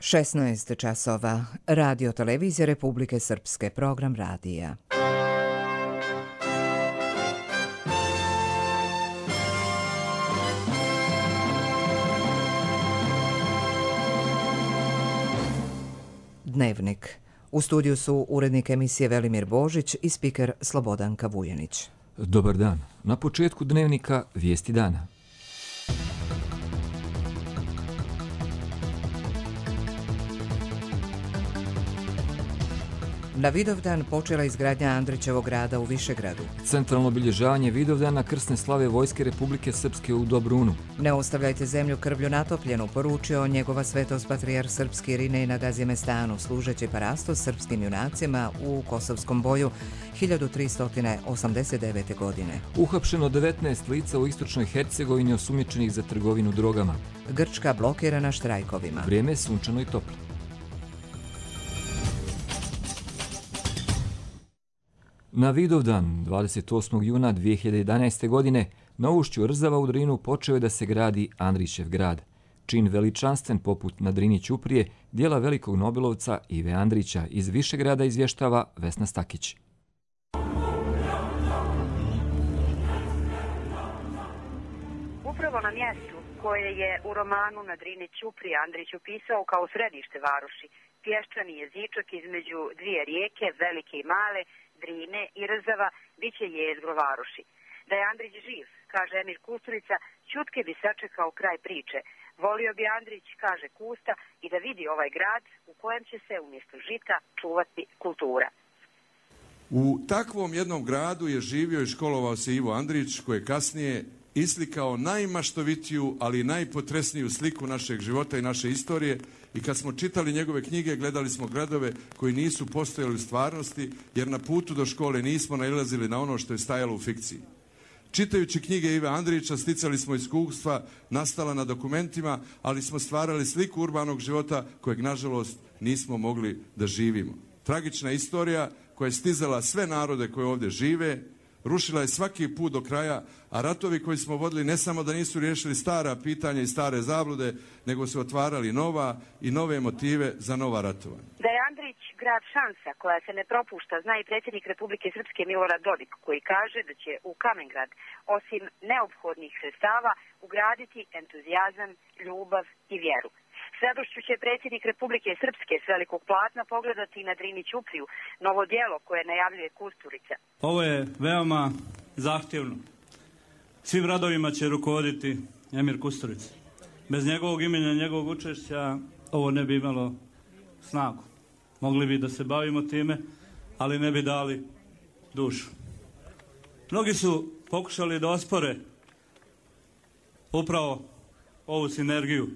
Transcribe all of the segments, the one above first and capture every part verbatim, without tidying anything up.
šesnaest časova. Radio televizija Republike Srpske, program radija. Dnevnik. U studiju su urednik emisije Velimir Božić i spiker Slobodanka Vujanić. Dobar dan. Na početku dnevnika vijesti dana. Na Vidovdan počela izgradnja Andrićevog grada u Višegradu. Centralno obilježavanje Vidovdana krsne slave Vojske Republike Srpske u Dobrunu. Ne ostavljajte zemlju krvlju natopljenu, poručio njegova svetost patrijarh srpski Irinej na Gazimestanu, služeći parastos srpskim junacima u Kosovskom boju hiljadu tristo osamdeset devete. godine. Uhapšeno devetnaest lica u istočnoj Hercegovini osumnjičenih za trgovinu drogama. Grčka blokirana štrajkovima. Vrijeme je sunčano i toplo. Na Vidovdan, dvadeset osmog juna dvije hiljade jedanaeste. godine, na ušću Rzava u Drinu počeo je da se gradi Andrićev grad. Čin veličanstven poput na Drini Ćuprije, dijela velikog nobelovca Ive Andrića iz Višegrada izvještava Vesna Stakić. Upravo na mjestu koje je u romanu Na Drini Ćuprije Andrić upisao kao središte varoši, pješčani jezičak između dvije rijeke, velike i male, Drine i Rzava, bit će jezgro varoši. Da je Andrić živ, kaže Emir Kusturica, čutke bi sačekao kraj priče. Volio bi Andrić, kaže Kusta, i da vidi ovaj grad u kojem će se umjesto žita čuvati kultura. U takvom jednom gradu je živio i školovao se Ivo Andrić, koji je kasnije islikao najmaštovitiju, ali i najpotresniju sliku našeg života i naše istorije. I kad smo čitali njegove knjige, gledali smo gradove koji nisu postojali u stvarnosti, jer na putu do škole nismo nailazili na ono što je stajalo u fikciji. Čitajući knjige Ive Andrića, sticali smo iskustva nastala na dokumentima, ali smo stvarali sliku urbanog života kojeg, nažalost, nismo mogli da živimo. Tragična istorija koja je stizala sve narode koje ovdje žive, rušila je svaki put do kraja, a ratovi koji smo vodili ne samo da nisu riješili stara pitanja i stare zablude, nego su otvarali nova i nove motive za nova ratovanja. Da je Andrić grad šansa koja se ne propušta, zna i predsjednik Republike Srpske Milorad Dodik, koji kaže da će u Kamengrad, osim neophodnih sredstava, ugraditi entuzijazam, ljubav i vjeru. S radošću će predsjednik Republike Srpske s velikog platna pogledati na Drini Ćupriju, novo djelo koje najavljuje Kusturica. Ovo je veoma zahtjevno. Svim radovima će rukovoditi Emir Kusturica. Bez njegovog imena i njegovog učešća ovo ne bi imalo snagu. Mogli bi da se bavimo time, ali ne bi dali dušu. Mnogi su pokušali da ospore upravo ovu sinergiju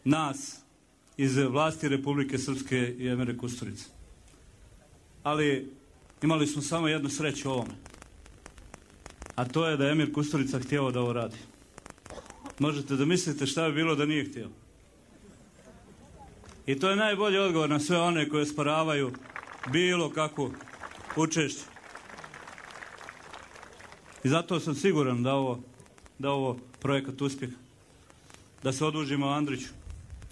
nas iz vlasti Republike Srpske i Emira Kusturice. Ali imali smo samo jednu sreću u ovome. A to je da je Emir Kusturica htio da ovo radi. Možete da mislite šta bi bilo da nije htio. I to je najbolji odgovor na sve one koje sporavaju bilo kakvu učešće. I zato sam siguran da ovo, da ovo projekat uspjeha. Da se odužimo Andriću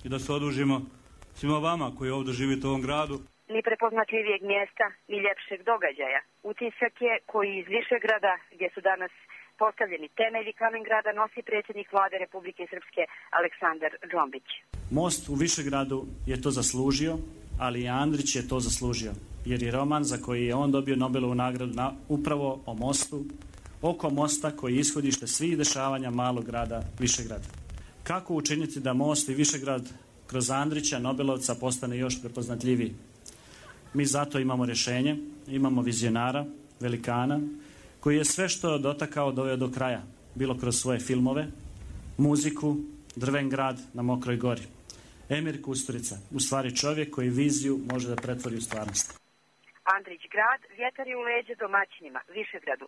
i da se odužimo svima vama koji ovdje živite u ovom gradu. Ni prepoznatljivijeg mjesta, ni ljepšeg događaja. Utisak je koji iz Višegrada, gdje su danas postavljeni temelji Kamengrada, nosi predsjednik vlade Republike Srpske Aleksandar Džombić. Most u Višegradu je to zaslužio, ali i Andrić je to zaslužio, jer je roman za koji je on dobio Nobelovu nagradu na, upravo o mostu, oko mosta koji je ishodište svih dešavanja malog grada Višegrada. Kako učiniti da most i Višegrad kroz Andrića, Nobelovca, postane još prepoznatljiviji? Mi zato imamo rješenje, imamo vizionara, velikana, koji je sve što dotakao doveo do kraja, bilo kroz svoje filmove, muziku, Drven grad na Mokroj gori. Emir Kusturica, u stvari čovjek koji viziju može da pretvori u stvarnost. Andrić grad, vjetar je u leđe domaćinima, Višegradu.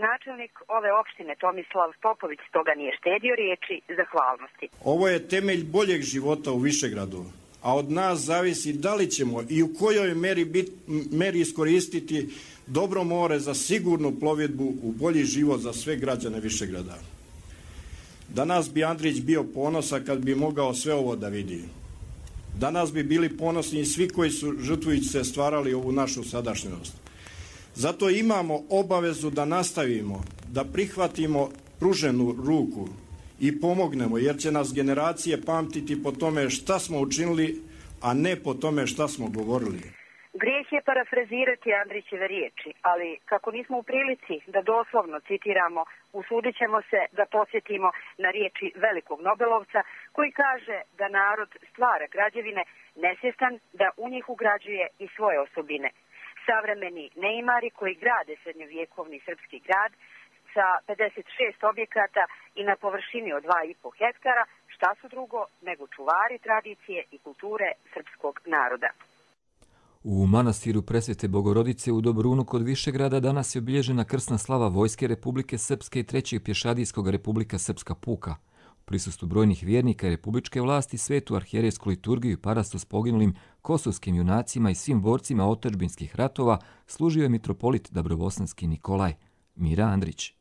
Načelnik ove opštine Tomislav Popović stoga nije štedio riječi zahvalnosti. Ovo je temelj boljeg života u Višegradu, a od nas zavisi da li ćemo i u kojoj meri, bit, meri iskoristiti dobro more za sigurnu plovidbu u bolji život za sve građane Višegrada. Danas bi Andrić bio ponosan kad bi mogao sve ovo da vidi. Danas bi bili ponosni i svi koji su žrtvujući se stvarali ovu našu sadašnjost. Zato imamo obavezu da nastavimo, da prihvatimo pruženu ruku i pomognemo, jer će nas generacije pamtiti po tome šta smo učinili, a ne po tome šta smo govorili. Grijeh je parafrazirati Andrićeve riječi, ali kako nismo u prilici da doslovno citiramo, usudit ćemo se da podsjetimo na riječi velikog Nobelovca koji kaže da narod stvara građevine nesvjestan da u njih ugrađuje i svoje osobine. Savremeni neimari koji grade srednjovjekovni srpski grad sa pedeset šest objekata i na površini od dva i po hektara, šta su drugo nego čuvari tradicije i kulture srpskog naroda. U manastiru Presvete Bogorodice u Dobrunu kod Višegrada danas je obilježena krsna slava Vojske Republike Srpske i trećeg pješadijskog Republika Srpska puka. U prisustvu brojnih vjernika i republičke vlasti svetu arhijerejsku liturgiju i parastos poginulim kosovskim junacima i svim borcima otadžbinskih ratova služio je mitropolit Dabrobosanski Nikolaj. Mira Andrić.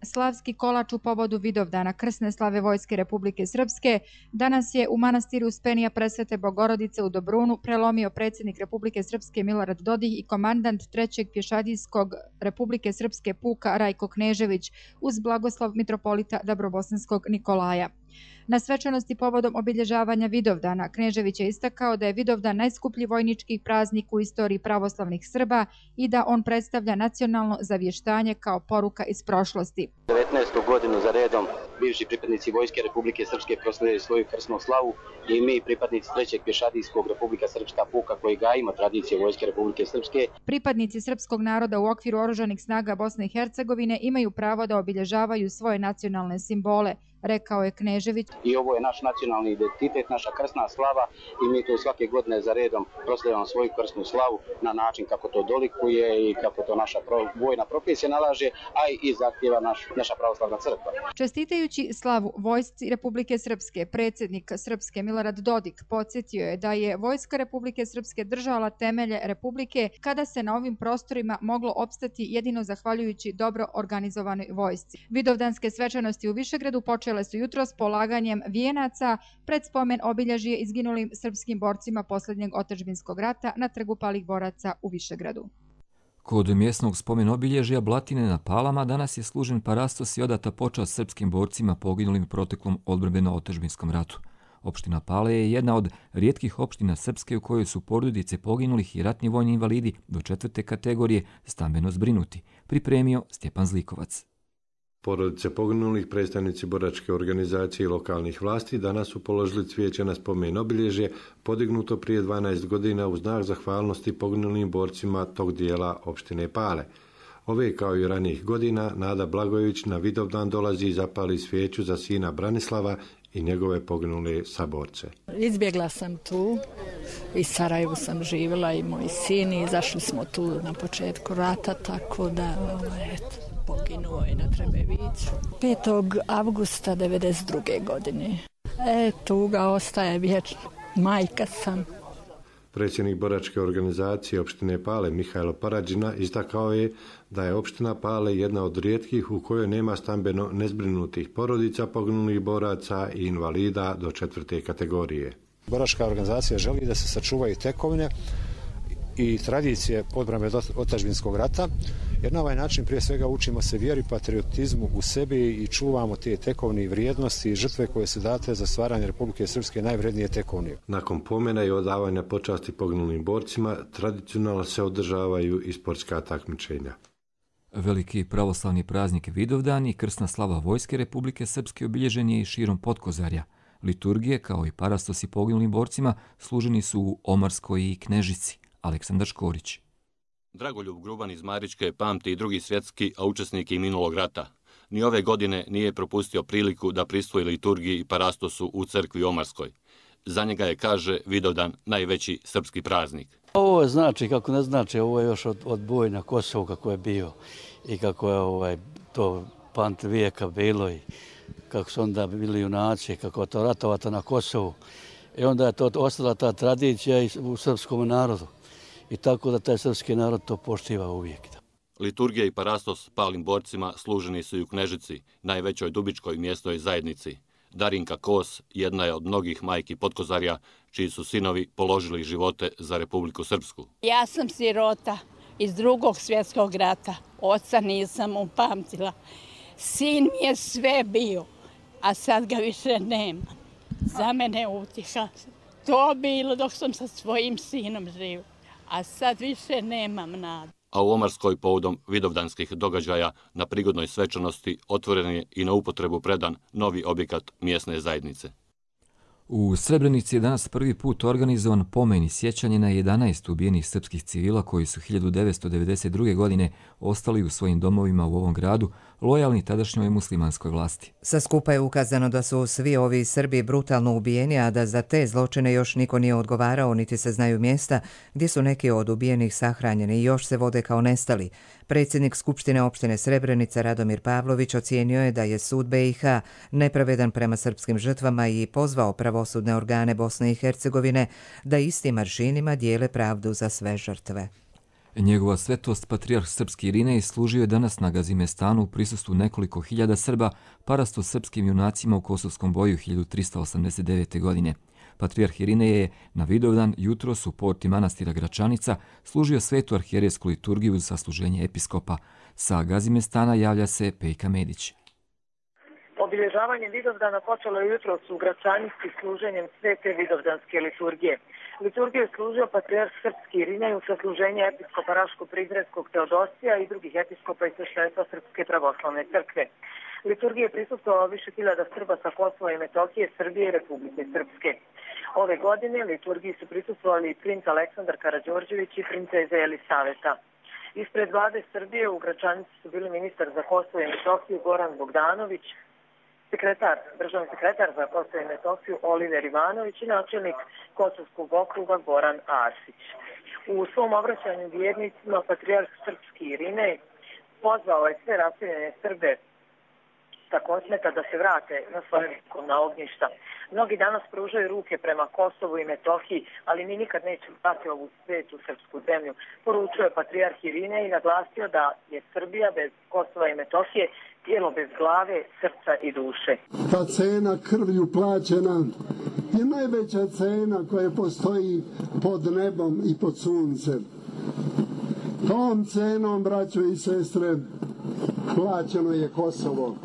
Slavski kolač u povodu Vidovdana krsne slave Vojske Republike Srpske danas je u manastiru Uspenija Presvete Bogorodice u Dobrunu prelomio predsjednik Republike Srpske Milorad Dodik i komandant trećeg pješadijskog Republike Srpske puka Rajko Knežević uz blagoslov mitropolita Dabrobosanskog Nikolaja. Na svečanosti povodom obilježavanja Vidovdana Knežević je istakao da je Vidovdan najskuplji vojnički praznik u istoriji pravoslavnih Srba i da on predstavlja nacionalno zavještanje kao poruka iz prošlosti. devetnaestu godinu za redom bivši pripadnici Vojske Republike Srpske proslavljaju svoju krsnu slavu i mi pripadnici trećeg pješadijskog Republika Srpska puka koji gajimo tradicije Vojske Republike Srpske. Pripadnici srpskog naroda u okviru oružanih snaga Bosne i Hercegovine imaju pravo da obilježavaju svoje nacionalne simbole, rekao je Knežević. I ovo je naš nacionalni identitet, naša krsna slava i mi to svake godine za redom proslavljamo svoju krsnu slavu na način kako to dolikuje i kako to naša vojna profesija nalaže, a i zahtjeva naš, naša pravoslavna crkva. Čestitajući slavu Vojsci Republike Srpske, predsjednik Srpske Milorad Dodik podsjetio je da je Vojska Republike Srpske držala temelje Republike kada se na ovim prostorima moglo opstati jedino zahvaljujući dobro organizovanoj vojsci. Vidovdanske svečanosti u Višegradu počele su jutros polaganjem vijenaca pred spomen obilježje izginulim srpskim borcima posljednjeg otadžbinskog rata na trgu palih boraca u Višegradu. Kod mjesnog spomen obilježja Blatine na Palama danas je služen parastos i odata počast srpskim borcima poginulim u proteklom odbrambeno-otadžbinskom ratu. Opština Pale je jedna od rijetkih opština Srpske u kojoj su porodice poginulih i ratni vojni invalidi do četvrte kategorije stambeno zbrinuti, pripremio Stjepan Zlikovac. Porodice poginulih, predstavnici boračke organizacije i lokalnih vlasti danas su položili cvijeće na spomen obilježje podignuto prije dvanaest godina u znak zahvalnosti poginulim borcima tog dijela opštine Pale. Ove kao i ranijih godina Nada Blagojević na Vidovdan dolazi i zapali svijeću za sina Branislava i njegove poginule saborce. Izbjegla sam tu, i Sarajevu sam živjela i moj sin i izašli smo tu na početku rata, tako da eto, poginuo je na Trebeviću. petog avgusta devedeset druge godine. E, tuga ostaje vječno. Majka sam. Predsjednik boračke organizacije opštine Pale Mihajlo Parađina istakao je da je opština Pale jedna od rijetkih u kojoj nema stambeno nezbrinutih porodica poginulih boraca i invalida do četvrte kategorije. Boračka organizacija želi da se sačuvaju tekovine i tradicije odbrane otadžbinskog rata, jer na ovaj način prije svega učimo se vjeri, patriotizmu u sebi i čuvamo te tekovne i vrijednosti i žrtve koje su date za stvaranje Republike Srpske najvrednije tekovne. Nakon pomena i odavanja počasti poginulim borcima, tradicionalno se održavaju i sportska takmičenja. Veliki pravoslavni praznik Vidovdan i krsna slava Vojske Republike Srpske obilježen je i širom Potkozarja. Liturgije, kao i parastosi poginulim borcima, služeni su u Omarskoj i Knežici. Aleksandar Škorić. Dragoljub Gruban iz Maričke pamti i drugi svjetski, a učesnik i minulog rata. Ni ove godine nije propustio priliku da pristupi liturgiji i parastosu u crkvi Omarskoj. Za njega je, kaže, Vidovdan najveći srpski praznik. Ovo znači, kako ne znači, ovo je još od, od boja na Kosovu kako je bio i kako je ovaj, to pant vijeka bilo i kako su onda bili junaci, kako je to ratovato na Kosovu. I onda je to ostala ta tradicija u srpskom narodu. I tako da taj srpski narod to poštiva uvijek. Liturgija i parastos palim borcima služeni su i u Knežici, najvećoj dubičkoj mjesnoj zajednici. Darinka Kos jedna je od mnogih majki Potkozarja, čiji su sinovi položili živote za Republiku Srpsku. Ja sam sirota iz drugog svjetskog rata. Oca nisam upamtila. Sin mi je sve bio, a sad ga više nema. Za mene utjeha. To bilo dok sam sa svojim sinom živio, a sad više nemam nadu. A u Omarskoj povodom vidovdanskih događaja na prigodnoj svečanosti otvoren je i na upotrebu predan novi objekat mjesne zajednice. U Srebrenici je danas prvi put organizovan pomen i sjećanje na jedanaest ubijenih srpskih civila koji su hiljadu devetsto devedeset druge. godine ostali u svojim domovima u ovom gradu, lojalni tadašnjoj muslimanskoj vlasti. Sa skupa je ukazano da su svi ovi Srbi brutalno ubijeni, a da za te zločine još niko nije odgovarao, niti se znaju mjesta gdje su neki od ubijenih sahranjeni i još se vode kao nestali. Predsjednik Skupštine opštine Srebrenica Radomir Pavlović ocijenio je da je sud be i ha nepravedan prema srpskim žrtvama i pozvao pravosudne organe Bosne i Hercegovine da istim aršinima dijele pravdu za sve žrtve. Njegova svetost patrijarh srpski Irinej služio je danas na Gazimestanu u prisustvu nekoliko hiljada Srba parasto srpskim junacima u Kosovskom boju hiljadu trista osamdeset devete. godine. Patrijarh Irinej je na Vidovdan jutros u porti manastira Gračanica služio svetu arhijerejsku liturgiju uz sasluženje episkopa. Sa Gazimestana javlja se Pejka Medić. Obilježavanje Vidovdana počelo je jutros u Gračanici služenjem svete vidovdanske liturgije. Liturgiju je služio patrijarh srpski Irinej u sasluženje episkopa Raško-Prizrenskog Teodosija i drugih episkopa i sveštenstva Srpske pravoslavne crkve. Liturgije je prisustvovalo više hiljada Srba sa Kosova i Metohije, Srbije i Republike Srpske. Ove godine liturgiji su prisustvovali i princ Aleksandar Karađorđević i princeza Jelisaveta. Ispred vlade Srbije u Gračanici su bili ministar za Kosovo i Metohiju Goran Bogdanović, sekretar, državni sekretar za Kosovo i Metohiju Oliver Ivanović i načelnik Kosovskog okruga Goran Arsić. U svom obraćanju vjernicima patrijarh srpski Irinej pozvao je sve raseljene Srbe sa Kosmeta da se vrate na svoje na ognjišta. Mnogi danas pružaju ruke prema Kosovu i Metohiji, ali mi nikad nećemo dati ovu svetu srpsku zemlju. Poručio je patrijarh Irinej i naglasio da je Srbija bez Kosova i Metohije tijelo bez glave, srca i duše. Ta cena krvlju plaćena je najveća cena koja postoji pod nebom i pod suncem. Tom cenom, braćo i sestre, plaćeno je Kosovo.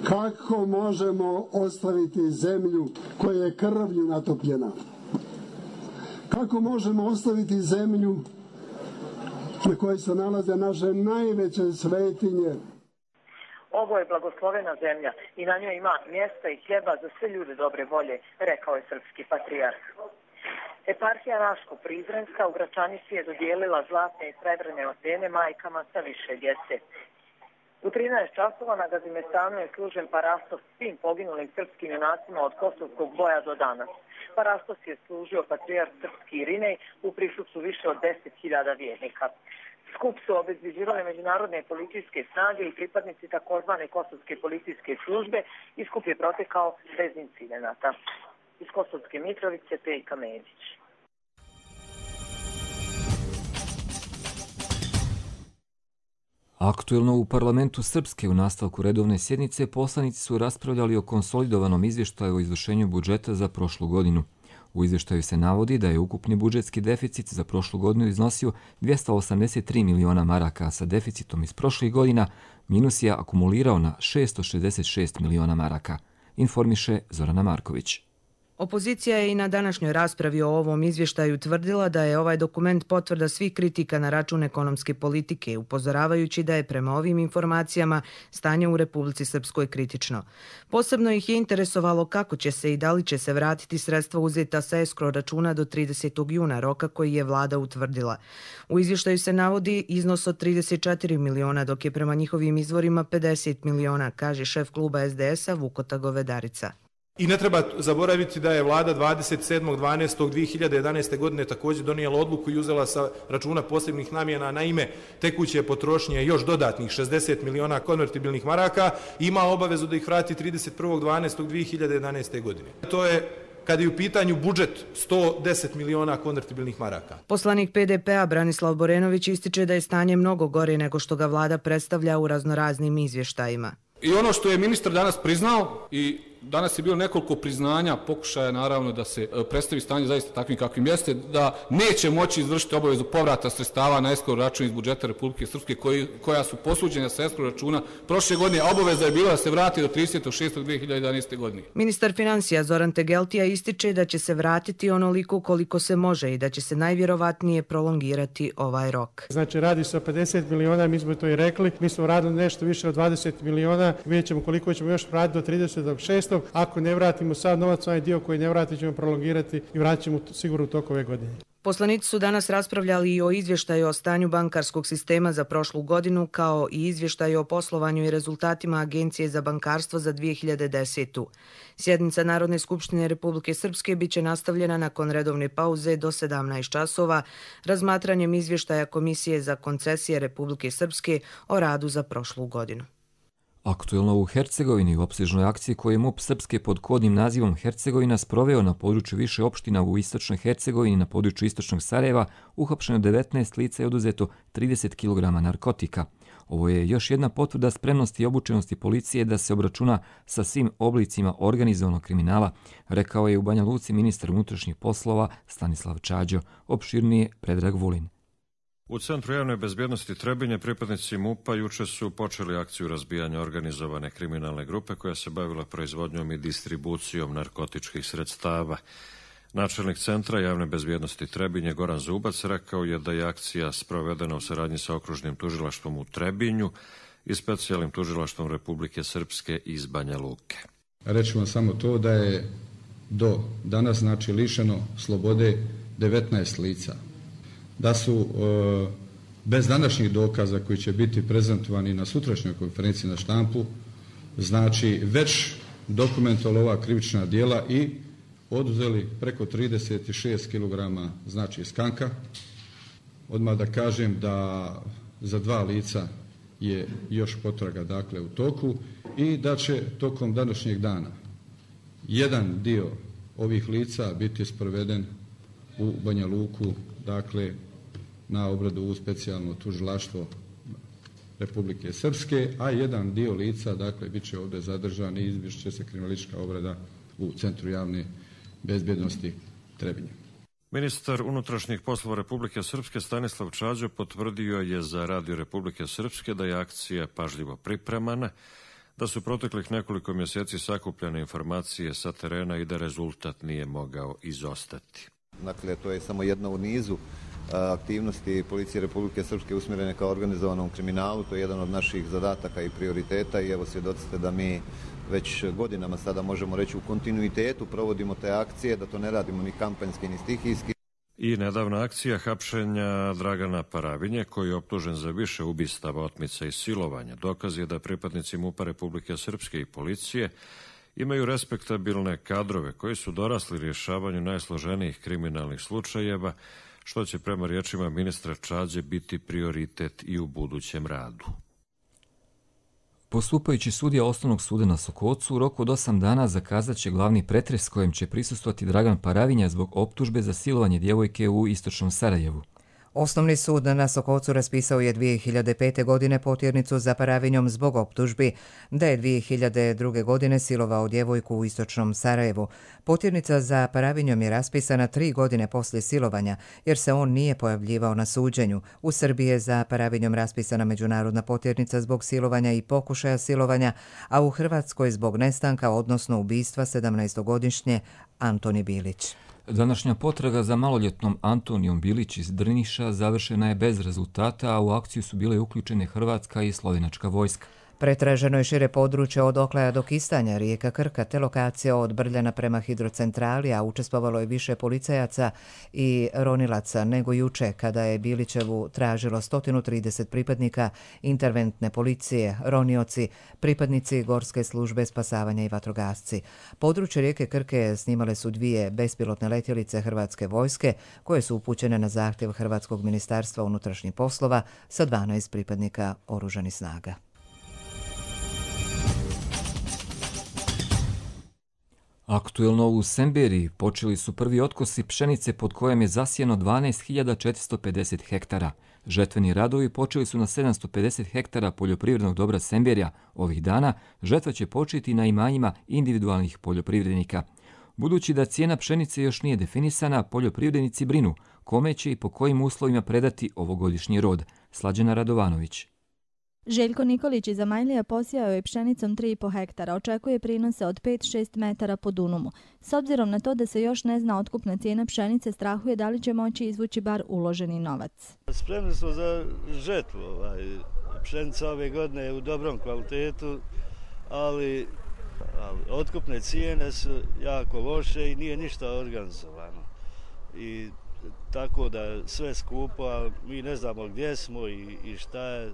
Kako možemo ostaviti zemlju koja je krvlju natopljena? Kako možemo ostaviti zemlju na kojoj se nalaze naše najveće svetinje? Ovo je blagoslovena zemlja i na njoj ima mjesta i hljeba za sve ljude dobre volje, rekao je srpski patrijarh. Eparhija Raško-Prizrenska u Gračanici je dodijelila zlatne i srebrne otene majkama sa više djece. U trinaest časova na Gazimestanu je služen parastos svim poginulim srpskim junacima od Kosovskog boja do danas. Parastos je služio patrijarh srpski Irinej u prisustvu više od deset hiljada vjernika. Skup su obezbeđivale međunarodne policijske snage i pripadnici takozvane kosovske policijske službe i skup je protekao bez incidenata. Iz Kosovske Mitrovice, Pejka Medić. Aktuelno u parlamentu Srpske u nastavku redovne sjednice poslanici su raspravljali o konsolidovanom izvještaju o izvršenju budžeta za prošlu godinu. U izvještaju se navodi da je ukupni budžetski deficit za prošlu godinu iznosio dvjesto osamdeset tri miliona maraka, a sa deficitom iz prošlih godina minus je akumulirao na šesto šezdeset šest miliona maraka, informiše Zorana Marković. Opozicija je i na današnjoj raspravi o ovom izvještaju tvrdila da je ovaj dokument potvrda svih kritika na račun ekonomske politike, upozoravajući da je prema ovim informacijama stanje u Republici Srpskoj kritično. Posebno ih je interesovalo kako će se i da li će se vratiti sredstva uzeta sa eskro računa do tridesetog juna, roka koji je vlada utvrdila. U izvještaju se navodi iznos od trideset četiri miliona, dok je prema njihovim izvorima pedeset miliona, kaže šef kluba es de es a Vukota Govedarica. I ne treba zaboraviti da je vlada dvadeset sedmog dvanaestog dve hiljade jedanaeste. godine također donijela odluku i uzela sa računa posebnih namjena na ime tekuće potrošnje još dodatnih šezdeset miliona konvertibilnih maraka i ima obavezu da ih vrati trideset prvog dvanaestog dve hiljade jedanaeste. godine. To je, kada je u pitanju budžet, sto deset miliona konvertibilnih maraka. Poslanik pe de pe a Branislav Borenović ističe da je stanje mnogo gore nego što ga vlada predstavlja u raznoraznim izvještajima. I ono što je ministar danas priznao i Danas je bilo nekoliko priznanja, pokušaja naravno da se predstavi stanje zaista takvim kakvim jeste, da neće moći izvršiti obavezu povrata sredstava na escrow račun iz budžeta Republike Srpske koji, koja su posuđena sa escrow računa prošle godine, a obaveza je bila da se vrati do tridesetog šestog dve hiljade jedanaeste. godine. Ministar financija Zoran Tegeltija ističe da će se vratiti onoliko koliko se može i da će se najvjerovatnije prolongirati ovaj rok. Znači radi se o pedeset miliona, mi smo to i rekli, mi smo radili nešto više od dvadeset miliona, vidjet ćemo koliko ćemo još vratiti do tridesetog šestog Ako ne vratimo sad novac, onaj dio koji ne vrati ćemo prolongirati i vratit ćemo sigurno u toku ove godine. Poslanici su danas raspravljali i o izvještaju o stanju bankarskog sistema za prošlu godinu, kao i izvještaju o poslovanju i rezultatima Agencije za bankarstvo za dvije hiljade desetu. Sjednica Narodne skupštine Republike Srpske biće nastavljena nakon redovne pauze do sedamnaest časova razmatranjem izvještaja Komisije za koncesije Republike Srpske o radu za prošlu godinu. Aktuelno u Hercegovini u opsežnoj akciji koju je MUP Srpske pod kodnim nazivom Hercegovina sproveo na području više opština u istočnoj Hercegovini na području istočnog Sarajeva uhapšeno devetnaest lica i oduzeto trideset kilograma narkotika. Ovo je još jedna potvrda spremnosti i obučenosti policije da se obračuna sa svim oblicima organizovanog kriminala, rekao je u Banja Luci ministar unutrašnjih poslova Stanislav Čađo. Opširnije Predrag Vulin. U Centru javne bezbjednosti Trebinje pripadnici MUP-a juče su počeli akciju razbijanja organizovane kriminalne grupe koja se bavila proizvodnjom i distribucijom narkotičkih sredstava. Načelnik Centra javne bezbjednosti Trebinje Goran Zubac rekao je da je akcija sprovedena u saradnji sa okružnim tužilaštvom u Trebinju i specijalnim tužilaštvom Republike Srpske iz Banja Luke. Reći vam samo to da je do danas znači lišeno slobode devetnaest lica. Da su e, bez današnjih dokaza koji će biti prezentovani na sutrašnjoj konferenciji na štampu, znači već dokumentovali ova krivična djela i oduzeli preko trideset šest kilograma znači skanka. Odmah da kažem da za dva lica je još potraga dakle u toku i da će tokom današnjeg dana jedan dio ovih lica biti sproveden u Banja Luku, dakle na obradu u specijalno tužilaštvo Republike Srpske, a jedan dio lica, dakle, bit će ovdje zadržan i izvršit će se kriminalistička obrada u Centru javne bezbjednosti Trebinje. Ministar unutrašnjih poslova Republike Srpske Stanislav Čađo potvrdio je za Radio Republike Srpske da je akcija pažljivo pripremana, da su proteklih nekoliko mjeseci sakupljene informacije sa terena i da rezultat nije mogao izostati. Dakle, to je samo jedna u nizu aktivnosti Policije Republike Srpske usmjerene kao organizovanom kriminalu. To je jedan od naših zadataka i prioriteta i evo svjedocite da mi već godinama sada možemo reći u kontinuitetu provodimo te akcije, da to ne radimo ni kampanjski ni stihijski. I nedavna akcija hapšenja Dragana Paravinje, koji je optužen za više ubistava, otmica i silovanja. Dokaz je da pripadnici MUP-a Republike Srpske i policije imaju respektabilne kadrove koji su dorasli rješavanju najsloženijih kriminalnih slučajeva, što će prema riječima ministra Čađe biti prioritet i u budućem radu. Postupajući sudija Osnovnog suda na Sokocu u roku od osam dana zakazat će glavni pretres kojem će prisustvovati Dragan Paravinja zbog optužbe za silovanje djevojke u istočnom Sarajevu. Osnovni sud na Sokocu raspisao je dvije hiljade pete. godine potjernicu za Paravinjom zbog optužbi da je dvije hiljade druge. godine silovao djevojku u istočnom Sarajevu. Potjernica za Paravinjom je raspisana tri godine poslije silovanja jer se on nije pojavljivao na suđenju. U Srbiji je za Paravinjom raspisana međunarodna potjernica zbog silovanja i pokušaja silovanja, a u Hrvatskoj zbog nestanka, odnosno ubistva sedamnaestogodišnje Antoni Bilić. Današnja potraga za maloljetnom Antonijom Bilić iz Drniša završena je bez rezultata, a u akciju su bile uključene hrvatska i slovenačka vojska. Pretraženo je šire područje od Oklaja do Kistanja, rijeka Krka, te lokacija od Brljana prema hidrocentrali, a učestvovalo je više policajaca i ronilaca nego juče kada je Bilićevu tražilo sto trideset pripadnika interventne policije, ronioci, pripadnici Gorske službe spasavanja i vatrogasci. Područje rijeke Krke snimale su dvije bespilotne letjelice hrvatske vojske koje su upućene na zahtjev Hrvatskog ministarstva unutrašnjih poslova sa dvanaest pripadnika oružanih snaga. Aktuelno u Semberiji počeli su prvi otkosi pšenice pod kojom je zasijeno dvanaest hiljada četiristo pedeset hektara. Žetveni radovi počeli su na sedamsto pedeset hektara poljoprivrednog dobra Semberija. Ovih dana žetva će početi na imanjima individualnih poljoprivrednika. Budući da cijena pšenice još nije definisana, poljoprivrednici brinu kome će i po kojim uslovima predati ovogodišnji rod. Slađana Radovanović. Željko Nikolić iz Amajlija posijao je pšenicom tri i po hektara. Očekuje prinose od pet do šest metara po dunumu. S obzirom na to da se još ne zna otkupna cijena pšenice, strahuje da li će moći izvući bar uloženi novac. Spremni smo za žetvu. Ovaj. Pšenica ove godine je u dobrom kvalitetu, ali, ali otkupne cijene su jako loše i nije ništa organizovano. I tako da sve skupo, a mi ne znamo gdje smo i, i šta je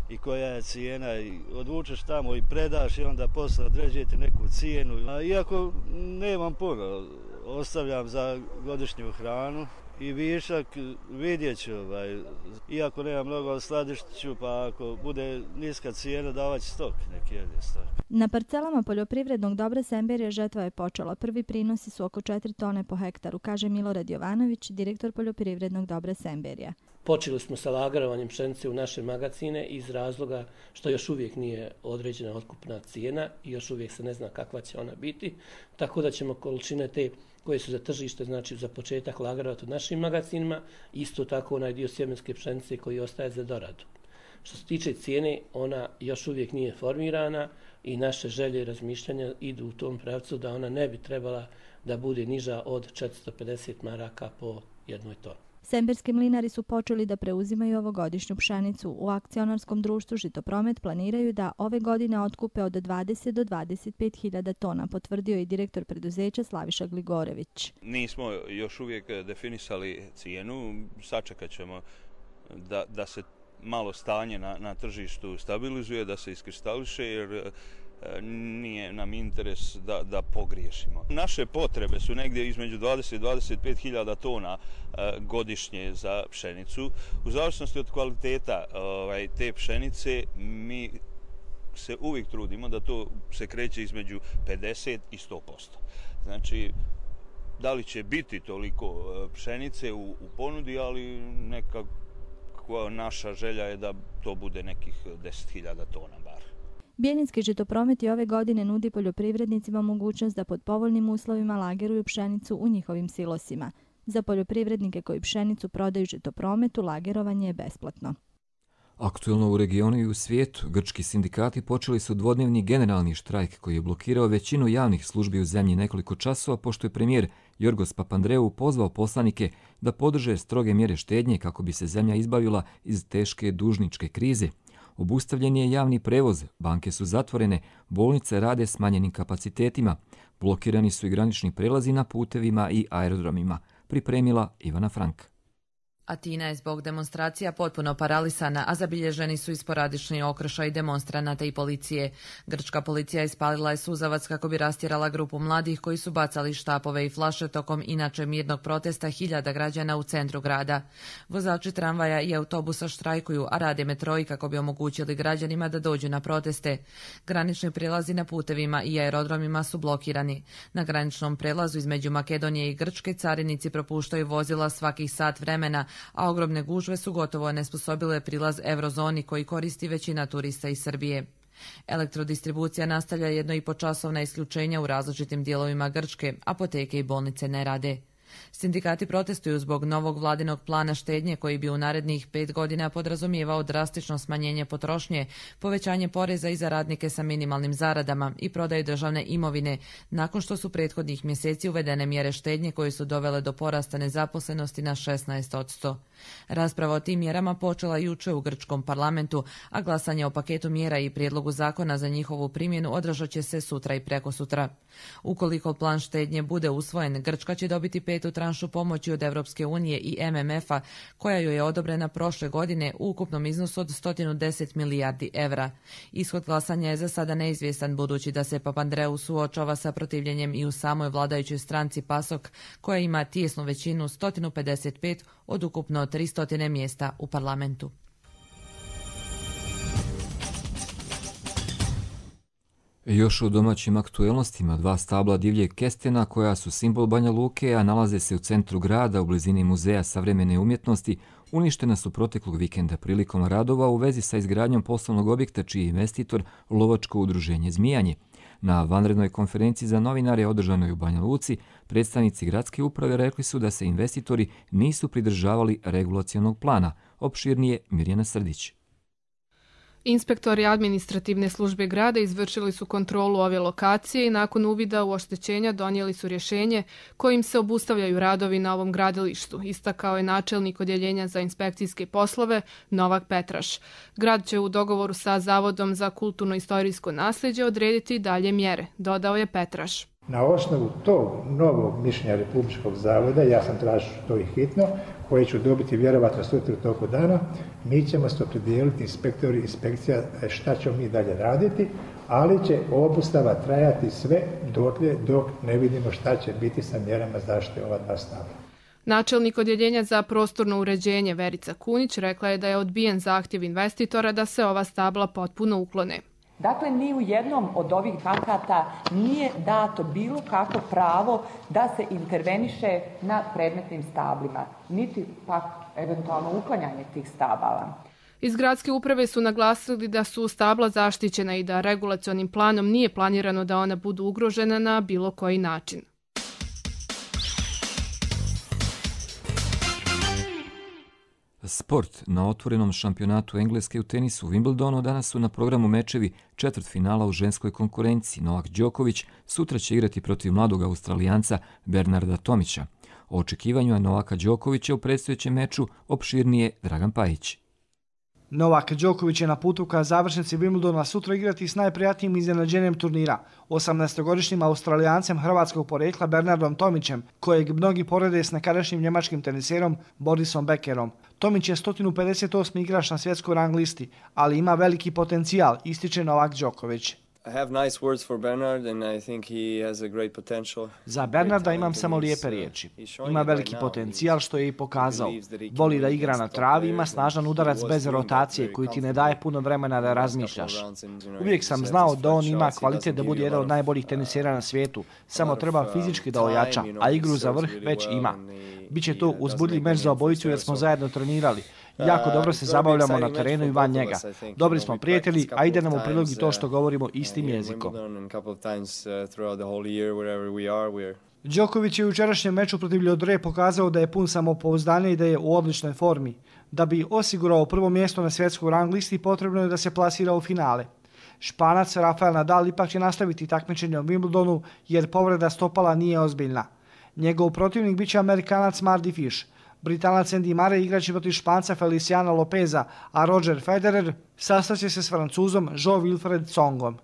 i koja je cijena, i odvučeš tamo i predaš i onda posle određujete neku cijenu. A iako nemam puno, ostavljam za godišnju hranu i višak vidjet ću. Ovaj. Iako nema mnogo, skladištit ću, pa ako bude niska cijena davat će stok, neki jedni stok. Na parcelama poljoprivrednog dobra Semberija žetva je počela. Prvi prinosi su oko četiri tone po hektaru, kaže Milorad Jovanović, direktor poljoprivrednog dobra Semberija. Počeli smo sa lagarovanjem pšenice u naše magacine iz razloga što još uvijek nije određena otkupna cijena i još uvijek se ne zna kakva će ona biti, tako da ćemo količine te koje su za tržište, znači za početak lagarovati u našim magacinima, isto tako onaj dio sjemenske pšenice koji ostaje za doradu. Što se tiče cijene, ona još uvijek nije formirana i naše želje i razmišljanja idu u tom pravcu da ona ne bi trebala da bude niža od četiristo pedeset maraka po jednoj toni. Semberski mlinari su počeli da preuzimaju ovogodišnju pšenicu. U akcionarskom društvu Žitopromet planiraju da ove godine otkupe od dvadeset do dvadeset pet hiljada tona, potvrdio i direktor preduzeća Slaviša Gligorević. Nismo još uvijek definisali cijenu, sačekat ćemo da, da se malo stanje na, na tržištu stabilizuje, da se iskristališe, jer nije nam interes da, da pogriješimo. Naše potrebe su negdje između dvadeset do dvadeset pet hiljada tona godišnje za pšenicu. U zavisnosti od kvaliteta ovaj, te pšenice mi se uvijek trudimo da to se kreće između pedeset i sto posto. Znači, da li će biti toliko pšenice u, u ponudi, ali nekako naša želja je da to bude nekih deset hiljada tona bar. Bijeljinski Žitopromet i ove godine nudi poljoprivrednicima mogućnost da pod povoljnim uslovima lageruju pšenicu u njihovim silosima. Za poljoprivrednike koji pšenicu prodaju Žitoprometu, lagerovanje je besplatno. Aktuelno u regionu i u svijetu, grčki sindikati počeli su dvodnevni generalni štrajk koji je blokirao većinu javnih službi u zemlji nekoliko časova, pošto je premijer Jorgos Papandreou pozvao poslanike da podrže stroge mjere štednje kako bi se zemlja izbavila iz teške dužničke krize. Obustavljen je javni prevoz, banke su zatvorene, bolnice rade s manjenim kapacitetima, blokirani su i granični prelazi na putevima i aerodromima, pripremila Ivana Frank. Atina je zbog demonstracija potpuno paralisana, a zabilježeni su i sporadični okršaji demonstranata i policije. Grčka policija ispalila je suzavac kako bi rastjerala grupu mladih koji su bacali štapove i flaše tokom inače mirnog protesta hiljada građana u centru grada. Vozači tramvaja i autobusa štrajkuju, a rade metroji kako bi omogućili građanima da dođu na proteste. Granični prelazi na putevima i aerodromima su blokirani. Na graničnom prelazu između Makedonije i Grčke carinici propuštaju vozila svakih sat vremena, a ogromne gužve su gotovo nesposobile prilaz eurozoni koji koristi većina turista iz Srbije. Elektrodistribucija nastavlja jedno i po časovna isključenja u različitim dijelovima Grčke, apoteke i bolnice ne rade. Sindikati protestuju zbog novog vladinog plana štednje koji bi u narednih pet godina podrazumijevao drastično smanjenje potrošnje, povećanje poreza i za radnike sa minimalnim zaradama i prodaju državne imovine, nakon što su prethodnih mjeseci uvedene mjere štednje koje su dovele do porasta nezaposlenosti na šesnaest posto. Rasprava o tim mjerama počela jučer u grčkom parlamentu, a glasanje o paketu mjera i prijedlogu zakona za njihovu primjenu održat će se sutra i prekosutra. Ukoliko plan štednje bude usvojen, Grčka će dobiti petu tranšu pomoći od Europske unije i M M F-a, koja joj je odobrena prošle godine u ukupnom iznosu od sto deset milijardi evra. Ishod glasanja je za sada neizvjestan, budući da se Papandreou suočava sa protivljenjem i u samoj vladajućoj stranci PASOK, koja ima tijesnu većinu sto pedeset pet od ukupno tristo mjesta u parlamentu. Još u domaćim aktuelnostima dva stabla divljeg kestena koja su simbol Banja Luke, a nalaze se u centru grada u blizini Muzeja savremene umjetnosti, uništena su proteklog vikenda prilikom radova u vezi sa izgradnjom poslovnog objekta čiji je investitor lovačko udruženje Zmijanje. Na vanrednoj konferenciji za novinare održanoj u Banja Luci, predstavnici gradske uprave rekli su da se investitori nisu pridržavali regulacionog plana. Opširnije Mirjana Srdić. Inspektori administrativne službe grada izvršili su kontrolu ove lokacije i nakon uvida u oštećenja donijeli su rješenje kojim se obustavljaju radovi na ovom gradilištu, istakao je načelnik odjeljenja za inspekcijske poslove Novak Petraš. Grad će u dogovoru sa Zavodom za kulturno-istorijsko nasljeđe odrediti dalje mjere, dodao je Petraš. Na osnovu tog novog mišljenja Republičkog zavoda, ja sam tražio to i hitno, koje ću dobiti vjerovatno sutra u toku dana, mi ćemo se opredijeliti inspektori, inspekcija, šta ćemo mi dalje raditi, ali će obustava trajati sve dotle dok ne vidimo šta će biti sa mjerama zaštite ova dva stabla. Načelnik odjeljenja za prostorno uređenje Verica Kunić rekla je da je odbijen zahtjev investitora da se ova stabla potpuno uklone. Dakle, ni u jednom od ovih akata nije dato bilo kako pravo da se interveniše na predmetnim stablima, niti pak eventualno uklanjanje tih stabala. Iz gradske uprave su naglasili da su stabla zaštićena i da regulacionim planom nije planirano da ona budu ugrožena na bilo koji način. Sport. Na otvorenom šampionatu Engleske u tenisu u Wimbledonu danas su na programu mečevi četvrtfinala u ženskoj konkurenciji. Novak Đoković sutra će igrati protiv mladog Australijanca Bernarda Tomića. O očekivanju Novaka Đokovića u predstojećem meču opširnije Dragan Pajić. Novak Đoković je na putu ka završnici Wimbledona sutra igrati s najprijatnijim iznenađenjem turnira, osamnaestogodišnjim Australijancem hrvatskog porekla Bernardom Tomićem, kojeg mnogi porede s nekadašnjim njemačkim teniserom Borisom Beckerom. Tomić je sto pedeset osmi igrač na svjetskoj rang listi, ali ima veliki potencijal, ističe Novak Đoković. Za Bernarda imam samo lijepe riječi. Ima veliki potencijal što je i pokazao. Voli da igra na travi, ima snažan udarac bez rotacije koji ti ne daje puno vremena da razmišljaš. Uvijek sam znao da on ima kvalitet da bude jedan od najboljih tenisera na svijetu. Samo treba fizički da ojača, a igru za vrh već ima. Biće to uzbudljiv meč za obojicu jer smo zajedno trenirali. Jako dobro se zabavljamo na terenu i van njega. Dobri smo prijatelji, a ide nam u prilog i to što govorimo istim jezikom. Đoković je u jučerašnjem meču protiv Ljodre pokazao da je pun samopouzdanja i da je u odličnoj formi. Da bi osigurao prvo mjesto na svjetskoj rang listi, potrebno je da se plasira u finale. Španac Rafael Nadal ipak će nastaviti takmičenje u Wimbledonu jer povreda stopala nije ozbiljna. Njegov protivnik biće Amerikanac Mardy Fish. Britanac Andy Murray igraće protiv Španca Feliciana Lopeza, a Roger Federer sastaće se s Francuzom Jo-Wilfried Tsongom.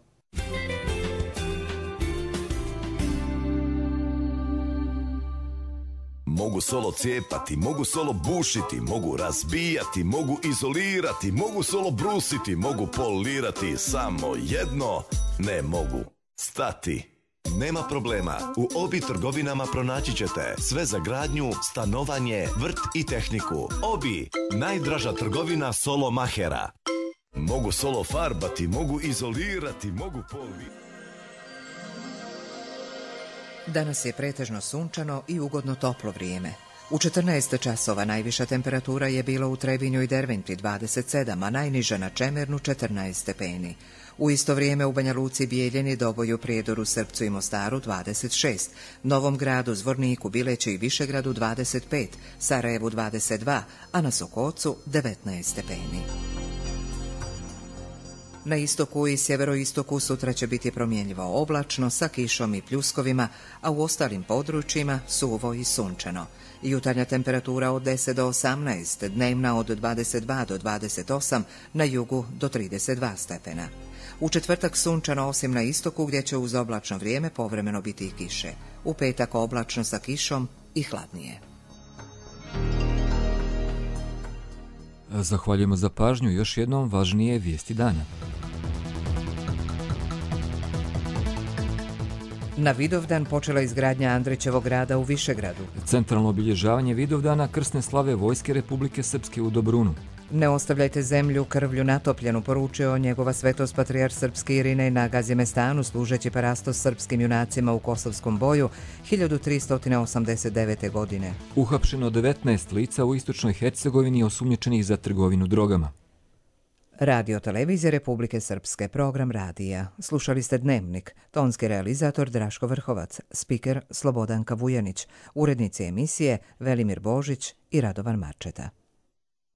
Mogu solo cijepati, mogu solo bušiti, mogu razbijati, mogu izolirati, mogu solo brusiti, mogu polirati, samo jedno ne mogu stati. Nema problema, u Obi trgovinama pronaći ćete sve za gradnju, stanovanje, vrt i tehniku. Obi, najdraža trgovina solo mahera. Mogu solo farbati, mogu izolirati, mogu polirati. Danas je pretežno sunčano i ugodno toplo vrijeme. U četrnaest časova najviša temperatura je bila u Trebinju i Derventi dvadeset sedam, a najniža na Čemernu četrnaest stepeni. U isto vrijeme u Banja Luci, Bijeljini, Doboju, Prijedoru, Srpcu i Mostaru dvadeset šest, Novom Gradu, Zvorniku, Bileću i Višegradu dvadeset pet, Sarajevu dvadeset dva, a na Sokocu devetnaest stepeni. Na istoku i sjeveroistoku sutra će biti promjenjivo oblačno sa kišom i pljuskovima, a u ostalim područjima suvo i sunčano. Jutarnja temperatura od deset do osamnaest, dnevna od dvadeset dva do dvadeset osam, na jugu do trideset dva stepena. U četvrtak sunčano osim na istoku gdje će uz oblačno vrijeme povremeno biti i kiše. U petak oblačno sa kišom i hladnije. Zahvaljujemo za pažnju. Još jednom važnije vijesti dana. Na Vidovdan počela izgradnja Andrićevog grada u Višegradu. Centralno obilježavanje Vidovdana krsne slave Vojske Republike Srpske u Dobrunu. Ne ostavljajte zemlju krvlju natopljenu, poručio njegova svetost patrijarh srpski Irinej na Gazimestanu, služeći parastos srpskim junacima u Kosovskom boju hiljadu tristo osamdeset devete. godine. Uhapšeno devetnaest lica u istočnoj Hercegovini osumnjičenih za trgovinu drogama. Radio televizije Republike Srpske, program radija. Slušali ste Dnevnik, tonski realizator Draško Vrhovac, spiker Slobodanka Vujanić, urednici emisije Velimir Božić i Radovan Marčeta.